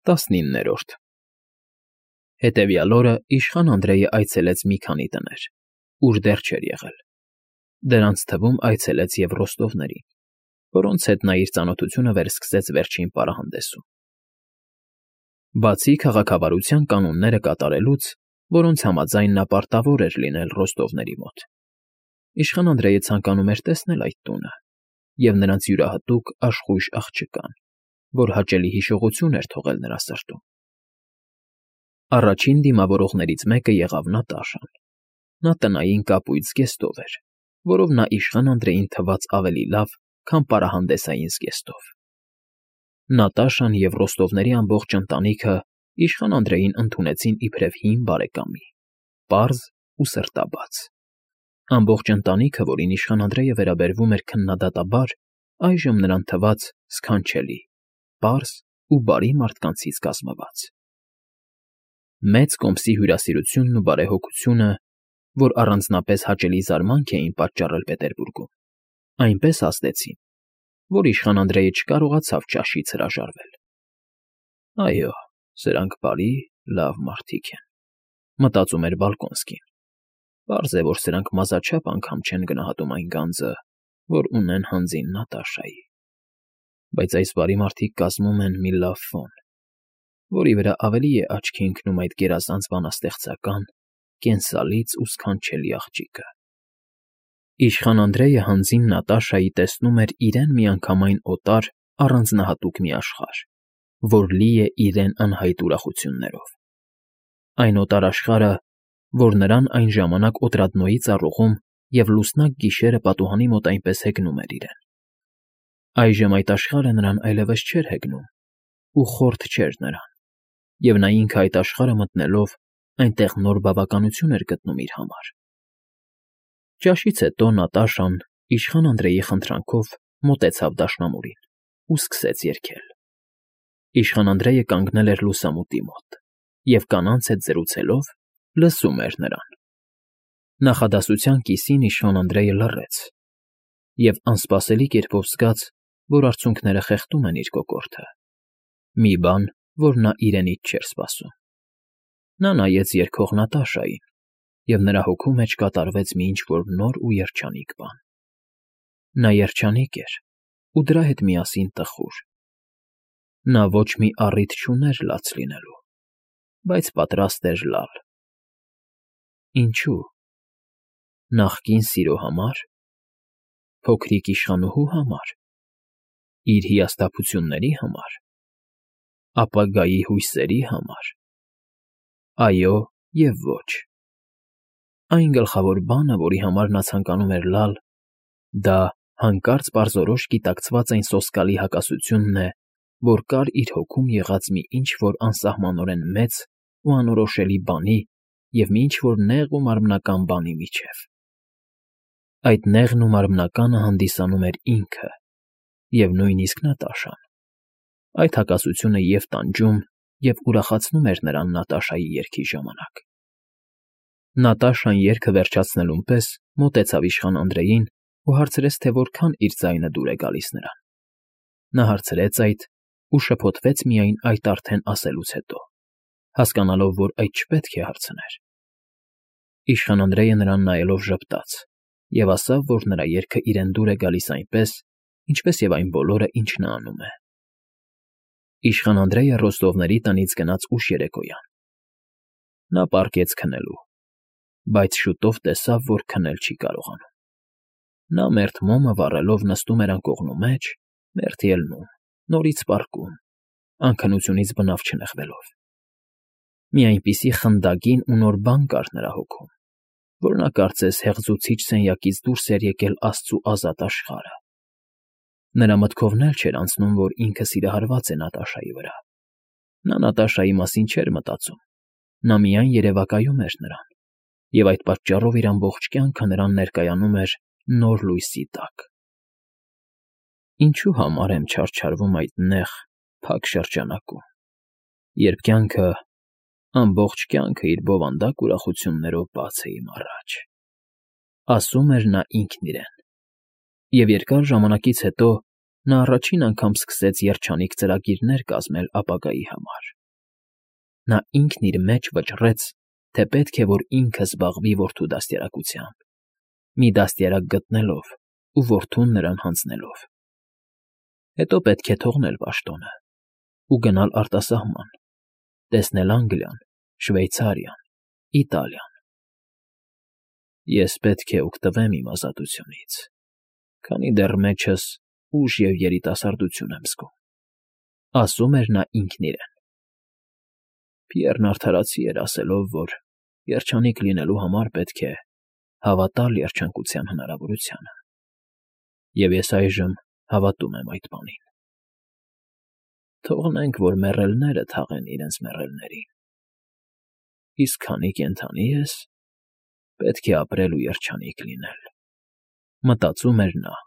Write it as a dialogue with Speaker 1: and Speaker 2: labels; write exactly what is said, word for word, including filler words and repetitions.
Speaker 1: Տասնիններորդ Հետևյալ օրը իշխան Անդրեյը այցելեց մի քանի տներ, ուր դեռ չէր եղել. դրանց թվում այցելեց և Ռոստովներին, որոնց հետ նա իր ծանոթությունը վերսկսեց վերջին պարահանդեսում։ Բացի քաղաքավարության կանոնները կատարելուց, որոնց համաձայն նա պարտավոր էր լինել Ռոստովների մոտ, իշխան Անդրեյը ցանկանում էր տեսնել այդ տունը և նրանց յուրահատուկ աշխույժ աղջկան, որ հաճելի հիշողություն էր թողել նրա սրտում։ Առաջին դիմավորողներից մեկը եղավ Նատաշան։ Նա տնային կապույտ զգեստով էր, որով նա իշխան Անդրեյին թվաց ավելի լավ, քան պարահանդեսային զգեստով։ Նատաշան և Ռոստովների ամբողջ ընտանիքը իշխան Անդրեյին ընդունեցին իբրև հին բարեկամի, պարզ ու սրտաբաց։ Ամբողջ ընտանիքը, որին իշխան Անդրեյը վերաբերվում էր քննադատաբար, այժմ նրան թվաց սքանչելի, պարզ ու բարի մարդկանցից կազմված։ Մեծ կոմսի հյուրասիրությունն ու բարեհոգությունը, որ առանձնապես հաճելի զարմանք էին պատճառել Պետերբուրգում, այնպես ազդեցին, որ իշխան Անդրեյը չկարողացավ ճաշից հրաժարվել։ «Այո, սրանք բարի, լավ մարդիկ են», մտածում էր Բալկոնսկին։ «Պարզ է, որ սրանք մազաչափ անգամ չեն գնահատում այն գանձը, որ ունեն հանձին Նատաշայի։ Բայց այս բարի մարդիկ կազմում են մի լավ ֆոն, որի վրա ավելի է աչքի ընկնում այդ գերազանց բանաստեղծական, կենսալից ու սքանչելի աղջիկը»։ Իշխան Անդրեյը հանձին Նատաշայի տեսնում էր իրեն միանգամայն օտար առանձնահատուկ մի աշխարհ, որ լի է իրեն անհայտ ուրախություններով։ Այն օտար աշխարհը, որ նրան այն ժամանակ Օտրադնոյի ծառուղում և լուսնակ գիշերը պատուհանի մոտ այնպես հեգնում էր իրեն։ Այժմ այդ աշխարհը նրան այլևս չէր հեգնում ու խորթ չէր նրան, և նա ինքը այդ աշխարհը մտնելով այնտեղ նոր բավականություն էր գտնում իր համար։ Ճաշից հետո Նատաշան իշխան Անդրեյի խնդրանքով մոտեցավ դաշնամուրին ու սկսեց երգել։ Իշխան Անդրեյը կանգնել էր լուսամուտի մոտ և կանանց հետ զրուցելով լսում էր նրան։ Նախադասության կիսին իշխան Անդրեյը լռեց և անսպասելի կերպով զգաց, որ արցունքները խեղդում են իր կոկորդը, մի բան, որ նա իրենից չէր սպասում։ Նա նայեց երգող Նատաշային, և նրա հոգու մեջ կատարվեց մի ինչ֊որ նոր ու երջանիկ բան։ Նա երջանիկ էր ու դրա հետ միասին տխուր։ Նա ոչ մի առիթ չուներ լաց լինելու, բայց պատրաստ էր լալ։ Ինչո՞ւ։ Նախկին սիրո համար։ Փոքրիկ իշխանուհու համար։ Իր հիասթափությունների համար։ Ապագայի հույսերի համար։ Այո և ոչ։ Այն գլխավոր բանը, որի համար նա ցանկանում էր լալ, դա հանկարծ պարզորոշ գիտակցված այն սոսկալի հակասությունն է, որ կար իր հոգում եղած մի ինչ֊որ անսահմանորեն մեծ ու անորոշելի բանի և մի ինչ֊որ նեղ ու մարմնական բանի միջև։ Այդ նեղն ու մարմնականը հանդիսանում էր ինքը և նույնիսկ Նատաշան։ Այդ հակասությունը և՛ տանջում, և՛ ուրախացնում էր նրան Նատաշայի երգի ժամանակ։ Նատաշան երգը վերջացնելուն պես մոտեցավ իշխան Անդրեյին ու հարցրեց, թե որքան իր ձայնը դուր է գալիս նրան։ Նա հարցրեց այդ ու շփոթվեց միայն այդ արդեն ասելուց հետո, հասկանալով, որ այդ չպետք է հարցներ։ Իշխան Անդրեյը նրան նայելով ժպտաց և ասավ, որ նրա երգը իրեն դուր է գալիս այնպես, ինչպես և այն բոլորը, ինչ նա անում է։ Իշխան Անդրեյը Ռոստովների տնից գնաց ուշ երեկոյան։ Նա պառկեց քնելու, բայց շուտով տեսավ, որ քնել չի կարողանում։ Նա մերթ մոմը վառելով նստում էր անկողնու մեջ, մերթ ելնում, նորից պառկում, անքնությունից բնավ չնեղվելով։ Մի այնպիսի խնդագին ու նոր բան կար նրա հոգում, որ նա կարծես հեղձուցիչ սենյակից դուրս էր եկել աստծու ազատ աշխարհը։ Նրա մտքովն էլ չէր անցնում, որ ինքը սիրահարված է Նատաշայի վրա։ Նա Նատաշայի մասին չէր մտածում, նա միայն երևակայում էր նրան, և այդ պատճառով իր ամբողջ կյանքը նրան ներկայանում էր նոր լույսի տակ։ Ինչու համար եմ չարչարվում այդ նեղ, փակ շրջանակում, երբ կյանքը, ամբողջ կյանքը իր բովանդակ ուրախություններով բաց է իմ առաջ, ասում էր նա ինքն իրեն։ Եվ երկար ժամանակից հետո նա առաջին անգամ սկսեց երջանիկ ծրագիրներ կազմել ապագայի համար։ Նա ինքն իր մեջ վճռեց, թե պետք է որ ինքը զբաղվի որդու դաստիարակությամբ, մի դաստիարակ գտնելով ու որդուն նրան հանձնելով։ Հետո պետք է թողնել պաշտոնը ու գնալ արտասահման, տեսնել Անգլիան, Շվեյցարիան, Իտալիան։ Ես պետք է օգտվեմ իմ ազատությունից, քանի դեռ մեջս ուժ և երիտասարդություն եմ զգում, ասում էր նա ինքն իրեն։ Պիեռն արդարացի էր ասելով, որ երջանիկ լինելու համար պետք է հավատալ երջանկության հնարավորությանը, և ես այժմ հավատում եմ այդ բանին։ Թողնենք, որ մեռելները թաղեն իրենց մեռելներին, իսկ քանի կենդանի ես, պետք է ապրել ու երջանիկ լինել, մտածում էր նա։